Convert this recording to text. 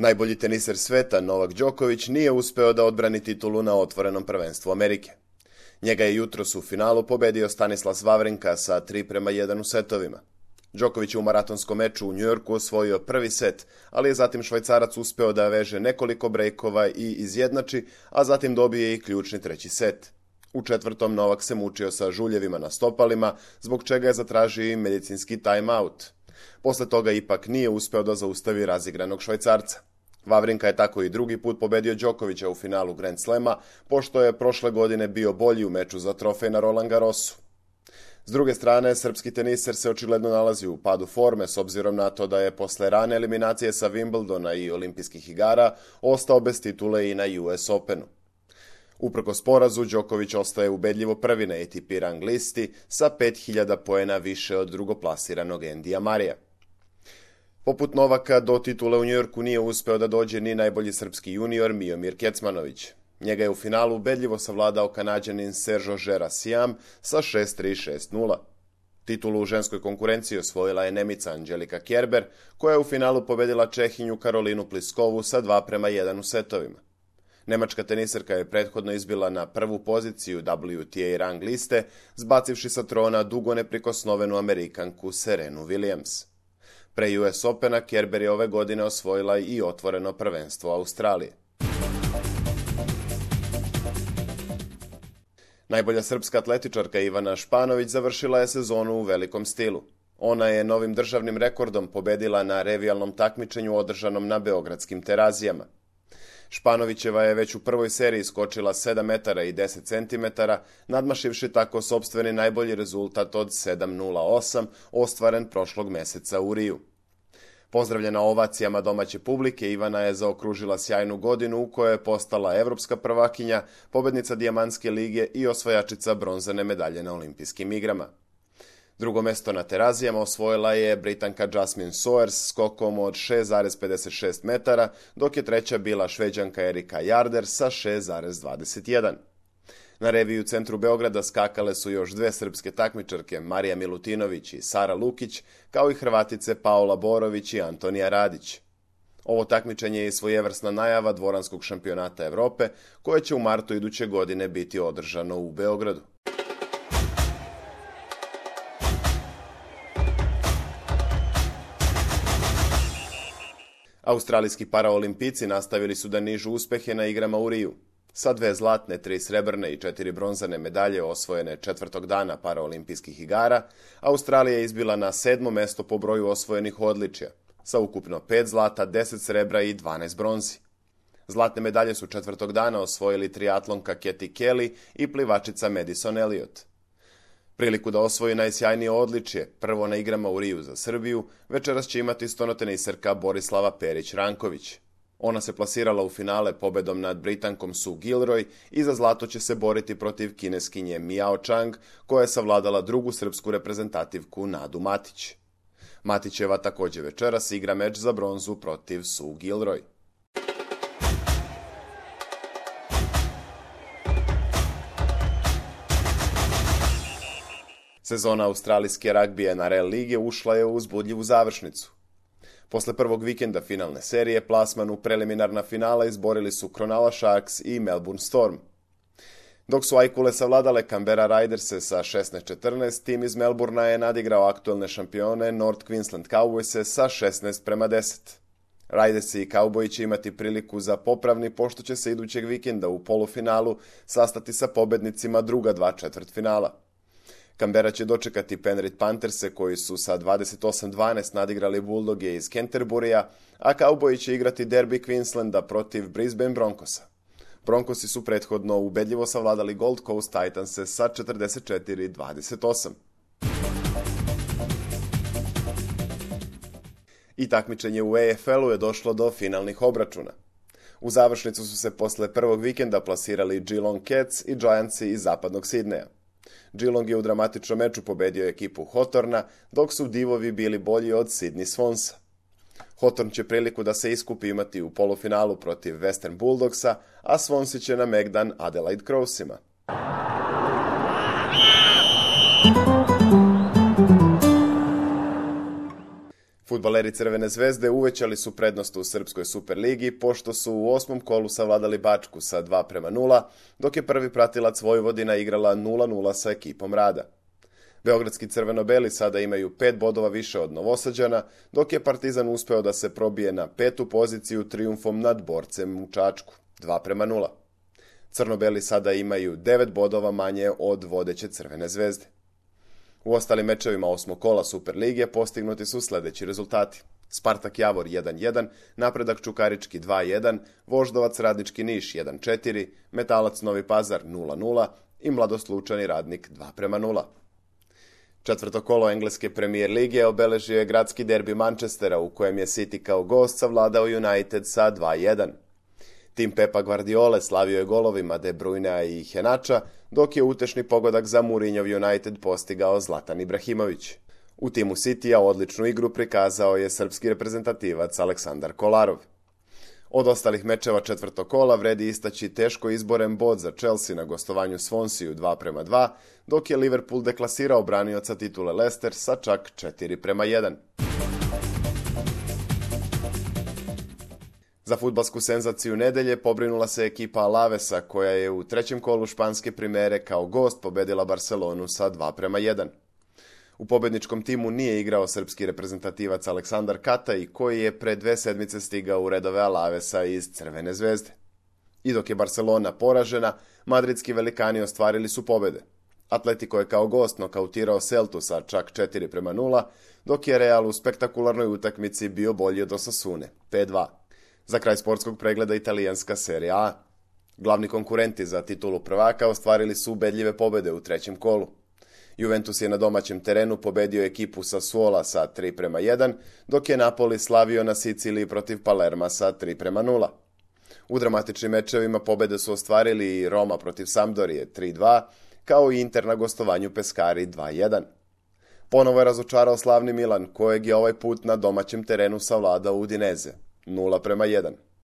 Najbolji teniser sveta, Novak Đoković, nije uspeo da odbrani titulu na otvorenom prvenstvu Amerike. Njega je jutros u finalu pobedio Stanislas Wawrinka sa 3:1 u setovima. Đoković je u maratonskom meču u Njujorku osvojio prvi set, ali je zatim Švajcarac uspeo da veže nekoliko brejkova i izjednači, a zatim dobije i ključni treći set. U četvrtom Novak se mučio sa žuljevima na stopalima, zbog čega je zatražio i medicinski time-out. Posle toga ipak nije uspeo da zaustavi razigranog Švajcarca. Wawrinka je tako i drugi put pobedio Đokovića u finalu Grand Slema, pošto je prošle godine bio bolji u meču za trofej na Roland Garrosu. S druge strane, srpski teniser se očigledno nalazi u padu forme s obzirom na to da je posle rane eliminacije sa Wimbledona i olimpijskih igara ostao bez titule i na US Openu. Uprkos porazu, Đoković ostaje ubedljivo prvi na ATP rang listi sa 5000 poena više od drugoplasiranog Andyja Murraya. Poput Novaka, do titule u Njujorku nije uspeo da dođe ni najbolji srpski junior Miomir Kecmanović. Njega je u finalu ubedljivo savladao Kanađanin Sergio Gerasiam sa 6:3, 6:0. Titulu u ženskoj konkurenciji osvojila je Nemica Angelika Kerber, koja je u finalu pobedila Čehinju Karolinu Pliskovu sa 2:1 u setovima. Nemačka teniserka je prethodno izbila na prvu poziciju WTA rang liste, zbacivši sa trona dugo neprikosnovenu Amerikanku Serenu Williams. Pre US Opena Kerber je ove godine osvojila i otvoreno prvenstvo Australije. Najbolja srpska atletičarka Ivana Španović završila je sezonu u velikom stilu. Ona je novim državnim rekordom pobedila na revijalnom takmičenju održanom na beogradskim Terazijama. Španovićeva je već u prvoj seriji skočila 7 metara i 10 centimetara, nadmašivši tako sopstveni najbolji rezultat od 7:08, ostvaren prošlog meseca u Riju. Pozdravljena ovacijama domaće publike, Ivana je zaokružila sjajnu godinu u kojoj je postala evropska prvakinja, pobednica Dijamantske lige i osvajačica bronzane medalje na olimpijskim igrama. Drugo mesto na Terazijama osvojila je Britanka Jasmine Soares skokom od 6,56 metara, dok je treća bila Šveđanka Erika Jarder sa 6,21. Na reviju u centru Beograda skakale su još dve srpske takmičarke, Marija Milutinović i Sara Lukić, kao i Hrvatice Paola Borović i Antonija Radić. Ovo takmičenje je svojevrsna najava dvoranskog šampionata Evrope, koje će u martu iduće godine biti održano u Beogradu. Australijski paraolimpijci nastavili su da nižu uspehe na igrama u Riju. Sa 2 zlatne, 3 srebrne i 4 bronzane medalje osvojene četvrtog dana paraolimpijskih igara, Australija je izbila na 7. mesto po broju osvojenih odličja, sa ukupno 5 zlata, 10 srebra i 12 bronzi. Zlatne medalje su četvrtog dana osvojili triatlonka Katie Kelly i plivačica Madison Elliot. Priliku da osvoji najsjajnije odličje, prvo na igrama u Riju za Srbiju, večeras će imati stonoteniserka Borislava Perić-Ranković. Ona se plasirala u finale pobedom nad Britankom Sue Gilroy i za zlato će se boriti protiv Kineskinje Miao Chang, koja je savladala drugu srpsku reprezentativku Nadu Matić. Matićeva također večeras igra meč za bronzu protiv Sue Gilroy. Sezona australijske ragbije NRL lige ušla je u uzbudljivu završnicu. Posle prvog vikenda finalne serije, plasman u preliminarna finala izborili su Cronulla Sharks i Melbourne Storm. Dok su Ajkule savladale Canberra Riderse sa 16:14, tim iz Melbournea je nadigrao aktuelne šampione North Queensland Cowboyse sa 16:10. Ridersi i Cowboyi će imati priliku za popravni, pošto će se idućeg vikenda u polufinalu sastati sa pobednicima druga 2 četvrtfinala. Canberra će dočekati Penrith Pantherse, koji su sa 28:12 nadigrali Bulldoge iz Canterburya, a Cowboyi će igrati derbi Queenslanda protiv Brisbane Broncosa. Broncosi su prethodno ubedljivo savladali Gold Coast Titanse sa 44:28. I takmičenje u AFL-u je došlo do finalnih obračuna. U završnicu su se posle prvog vikenda plasirali Geelong Cats i Giantsi iz zapadnog Sidneja. Geelong je u dramatičnom meču pobedio ekipu Hawthorna, dok su divovi bili bolji od Sydney Swansa. Hawthorn će priliku da se iskupi imati u polufinalu protiv Western Bulldogsa, a Swansea će na megdan Adelaide Crowsima. Fudbaleri Crvene zvezde uvećali su prednost u Srpskoj Superligi pošto su u 8. kolu savladali Bačku sa 2:0, dok je prvi pratilac Vojvodina igrala 0:0 sa ekipom Rada. Beogradski crveno-beli sada imaju 5 bodova više od Novosađana, dok je Partizan uspeo da se probije na 5. poziciju trijumfom nad Borcem u Čačku, 2:0. Crno-beli sada imaju 9 bodova manje od vodeće Crvene zvezde. U ostalim mečevima 8. kola Superlige postignuti su sledeći rezultati. Spartak Javor 1:1, Napredak Čukarički 2:1, Voždovac Radnički Niš 1:4, Metalac Novi Pazar 0:0 i Mladost Lučani Radnik 2:0. Četvrto kolo engleske Premier lige obeležio je gradski derbi Manchestera u kojem je City kao gost savladao United sa 2:1. Tim Pepa Guardiole slavio je golovima De Bruynea i Henača, dok je utešni pogodak za Mourinhov United postigao Zlatan Ibrahimović. U timu Citya odličnu igru prikazao je srpski reprezentativac Aleksandar Kolarov. Od ostalih mečeva četvrtog kola vredi istaći teško izboren bod za Chelsea na gostovanju Swansea 2:2, dok je Liverpool deklasirao branioca titule Leicester sa čak 4:1. Za fudbalsku senzaciju nedelje pobrinula se ekipa Alavesa koja je u trećem kolu španske primere kao gost pobedila Barcelonu sa 2:1. U pobedničkom timu nije igrao srpski reprezentativac Aleksandar Kataj koji je pre 2 sedmice stigao u redove Alavesa iz Crvene zvezde. I dok je Barcelona poražena, madridski velikani ostvarili su pobede. Atletico je kao gost nokautirao Celtu sa čak 4:0, dok je Real u spektakularnoj utakmici bio bolji od Osasune, 5:2. Za kraj sportskog pregleda italijanska Serie A. Glavni konkurenti za titulu prvaka ostvarili su ubedljive pobede u trećem kolu. Juventus je na domaćem terenu pobedio ekipu Sassuola sa 3:1, dok je Napoli slavio na Siciliji protiv Palerma sa 3:0. U dramatičnim mečevima pobede su ostvarili i Roma protiv Sampdorije 3:2, kao i Inter na gostovanju Pescari 2:1. Ponovo je razočarao slavni Milan, kojeg je ovaj put na domaćem terenu savladao Udinese 0:1.